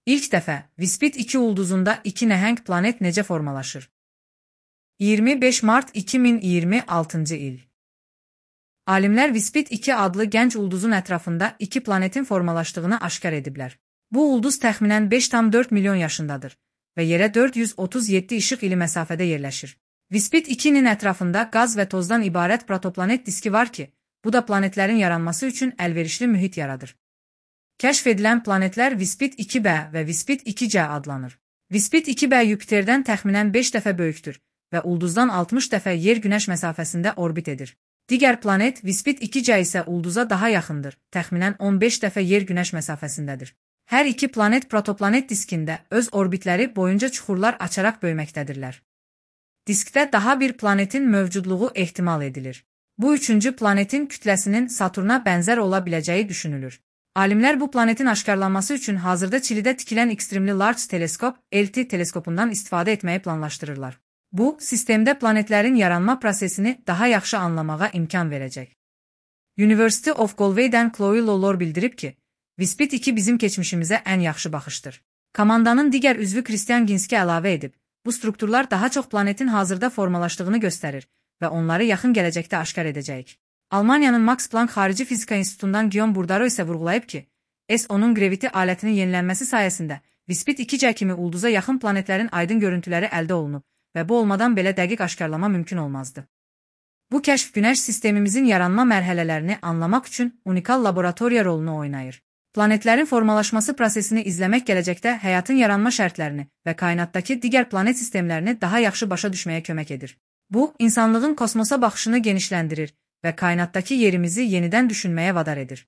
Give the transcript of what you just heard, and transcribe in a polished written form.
İlk dəfə Vispit 2 ulduzunda iki nəhəng planet necə formalaşır? 25 mart 2026-cı il. Alimlər Vispit 2 adlı gənc ulduzun ətrafında iki planetin formalaşdığını aşkar ediblər. Bu ulduz təxminən 5,4 milyon yaşındadır və yerə 437 işıq ili məsafədə yerləşir. Vispit 2-nin ətrafında qaz və tozdan ibarət protoplanet diski var ki, bu da planetlərin yaranması üçün əlverişli mühit yaradır. Kəşf edilən planetlər Vispit 2b və Vispit 2c adlanır. Vispit 2b Yupiterdən təxminən 5 dəfə böyükdür və ulduzdan 60 dəfə Yer-Günəş məsafəsində orbit edir. Digər planet Vispit 2c isə ulduza daha yaxındır, təxminən 15 dəfə Yer-Günəş məsafəsindədir. Hər iki planet protoplanet diskində öz orbitləri boyunca çuxurlar açaraq böyüməkdədirlər. Diskdə daha bir planetin mövcudluğu ehtimal edilir. Bu üçüncü planetin kütləsinin Saturna bənzər ola biləcəyi düşünülür. Alimlər bu planetin aşkarlanması üçün hazırda Çilidə tikilən Extremely Large Teleskop (LT) teleskopundan istifadə etməyi planlaşdırırlar. Bu, sistemdə planetlərin yaranma prosesini daha yaxşı anlamağa imkan verəcək. University of Galway'dən Chloe Lawlor bildirib ki, Vispit 2 bizim keçmişimizə ən yaxşı baxışdır. Komandanın digər üzvü Christian Ginski əlavə edib, bu strukturlar daha çox planetin hazırda formalaşdığını göstərir və onları yaxın gələcəkdə aşkar edəcəyik. Almaniyanın Max Planck Xarici Fizika İnstitutundan Guillaume Bourdaro isə vurğulayıb ki, S-10-un Gravity alətinin yenilənməsi sayəsində Vispit 2c kimi ulduza yaxın planetlərin aydın görüntüləri əldə olunub və bu olmadan belə dəqiq aşkarlama mümkün olmazdı. Bu kəşf Günəş sistemimizin yaranma mərhələlərini anlamaq üçün unikal laboratoriya rolunu oynayır. Planetlərin formalaşması prosesini izləmək gələcəkdə həyatın yaranma şərtlərini və kainatdakı digər planet sistemlərini daha yaxşı başa düşməyə kömək edir. Bu, insanlığın kosmosa baxışını genişləndirir və kainatdakı yerimizi yenidən düşünməyə vadar edir.